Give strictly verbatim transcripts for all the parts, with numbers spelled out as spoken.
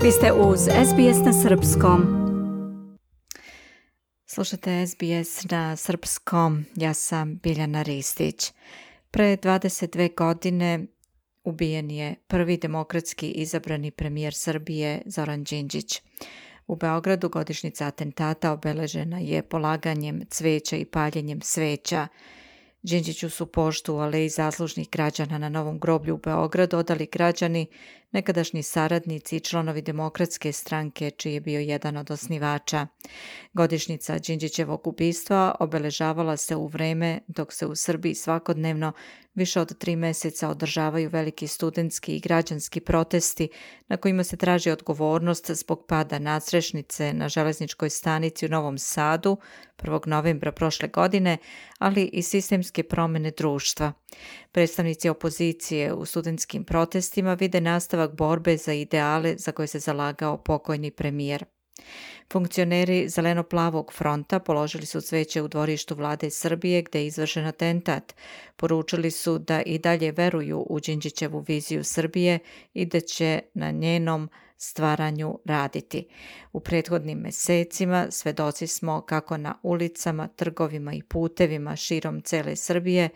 Vi ste uz S B S na srpskom. Slušate S B S na srpskom, ja sam Biljana Ristić. Pre dvadeset dve godine ubijen je prvi demokratski izabrani premijer Srbije Zoran Đinđić. U Beogradu godišnjica atentata obeležena je polaganjem cveća i paljenjem sveća. Đinđiću su poštu u aleji zaslužnih građana na Novom groblju u Beogradu odali građani, nekadašnji saradnici i članovi Demokratske stranke, čiji je bio jedan od osnivača. Godišnjica Đinđićevog ubistva obeležavala se u vreme dok se u Srbiji svakodnevno više od tri meseca održavaju veliki studentski i građanski protesti na kojima se traži odgovornost zbog pada nadstrešnice na železničkoj stanici u Novom Sadu prvog novembra prošle godine, ali i sistemske promene društva. Predstavnici opozicije u studentskim protestima vide nastavak borbe za ideale za koje se zalagao pokojni premijer. Funkcioneri Zeleno-plavog fronta položili su cveće u dvorištu vlade Srbije gde je izvršen atentat. Poručili su da i dalje veruju u Đinđićevu viziju Srbije i da će na njenom stvaranju raditi. U prethodnim mesecima svedoci smo kako na ulicama, trgovima i putevima širom cele Srbije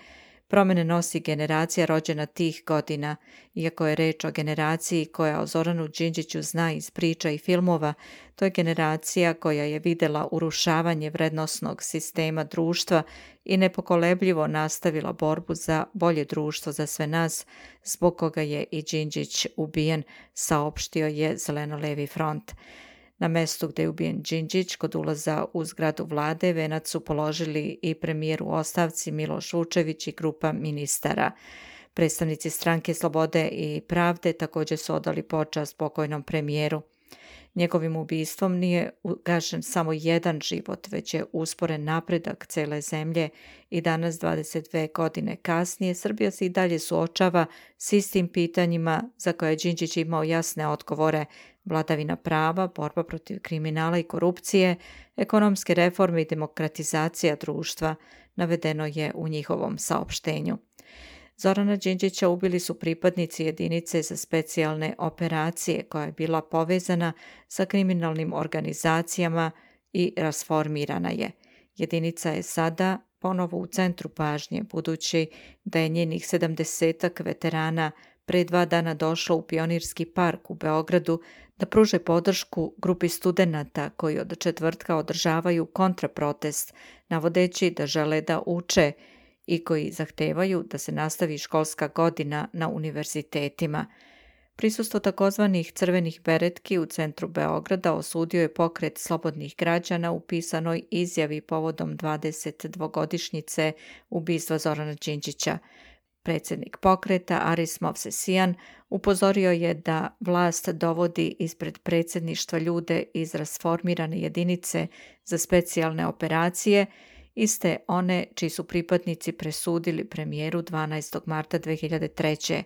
promene nosi generacija rođena tih godina. Iako je reč o generaciji koja o Zoranu Đinđiću zna iz priča i filmova, to je generacija koja je videla urušavanje vrednosnog sistema društva i nepokolebljivo nastavila borbu za bolje društvo za sve nas, zbog koga je i Đinđić ubijen, saopštio je Zeleno-levi front. Na mestu gde je ubijen Đinđić, kod ulaza u zgradu vlade, venac su položili i premijer u ostavci Miloš Vučević i grupa ministara. Predstavnici Stranke slobode i pravde također su odali počast pokojnom premijeru. Njegovim ubistvom nije ugašen samo jedan život, već je usporen napredak cele zemlje i danas, dvadeset dve godine kasnije, Srbija se i dalje suočava s istim pitanjima za koje je Đinđić imao jasne odgovore: vladavina prava, borba protiv kriminala i korupcije, ekonomske reforme i demokratizacija društva, navedeno je u njihovom saopštenju. Zorana Đinđića ubili su pripadnici jedinice za specijalne operacije koja je bila povezana sa kriminalnim organizacijama i rasformirana je. Jedinica je sada ponovo u centru pažnje, budući da je njenih sedamdesetak veterana pre dva dana došlo u Pionirski park u Beogradu da pruže podršku grupi studenata koji od četvrtka održavaju kontraprotest, navodeći da žele da uče i koji zahtevaju da se nastavi školska godina na univerzitetima. Prisustvo takozvanih crvenih beretki u centru Beograda osudio je pokret slobodnih građana u pisanoj izjavi povodom dvadesetdvogodišnjice ubistva Zorana Đinđića. Predsjednik pokreta Aris Movsesian upozorio je da vlast dovodi ispred predsjedništva ljude iz rasformirane jedinice za specijalne operacije, iste one čiji su pripadnici presudili premijeru dvanaestog marta dve hiljade treće.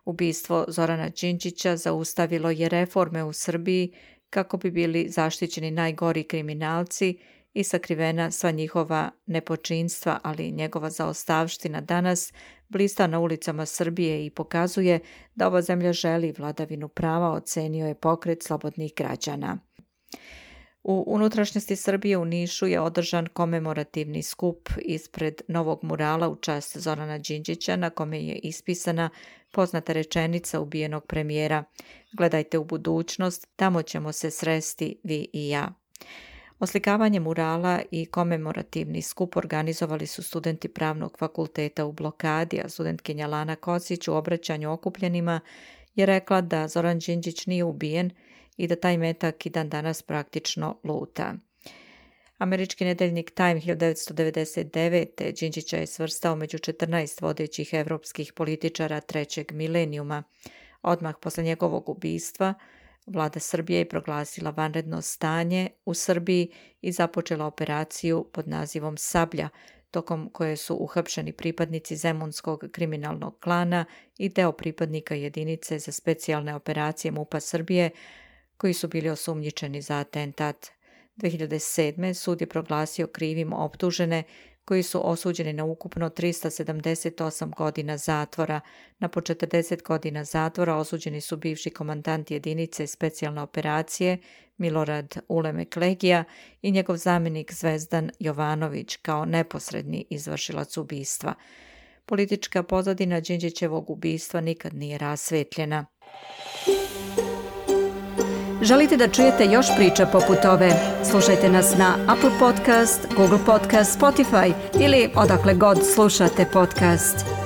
Ubistvo Zorana Đinđića zaustavilo je reforme u Srbiji kako bi bili zaštićeni najgori kriminalci i sakrivena sva njihova nepočinstva, ali njegova zaostavština danas blista na ulicama Srbije i pokazuje da ova zemlja želi vladavinu prava, ocenio je pokret slobodnih građana. U unutrašnjosti Srbije u Nišu je održan komemorativni skup ispred novog murala u čast Zorana Đinđića, na kome je ispisana poznata rečenica ubijenog premijera: "Gledajte u budućnost, tamo ćemo se sresti vi i ja." Oslikavanje murala i komemorativni skup organizovali su studenti Pravnog fakulteta u blokadi, a studentkinja Lana Kocić u obraćanju okupljenima je rekla da Zoran Đinđić nije ubijen i da taj metak i dan danas praktično luta. Američki nedeljnik Time hiljadu devetsto devedeset devete. Đinđića je svrstao među četrnaest vodećih evropskih političara trećeg milenijuma. Odmah posle njegovog ubistva, vlada Srbije je proglasila vanredno stanje u Srbiji i započela operaciju pod nazivom Sablja, tokom koje su uhapšeni pripadnici Zemunskog kriminalnog klana i deo pripadnika jedinice za specijalne operacije MUP-a Srbije, koji su bili osumnjičeni za atentat. dve hiljade sedme. sud je proglasio krivim optužene koji su osuđeni na ukupno tristo sedamdeset osam godina zatvora. Na po četrdeset godina zatvora osuđeni su bivši komandant jedinice specijalne operacije Milorad Ulemek Legija i njegov zamjenik Zvezdan Jovanović kao neposredni izvršilac ubistva. Politička pozadina Đinđićevog ubistva nikad nije rasvetljena. Želite da čujete još priča poput ove? Slušajte nas na Apple Podcast, Google Podcast, Spotify ili odakle god slušate podcast.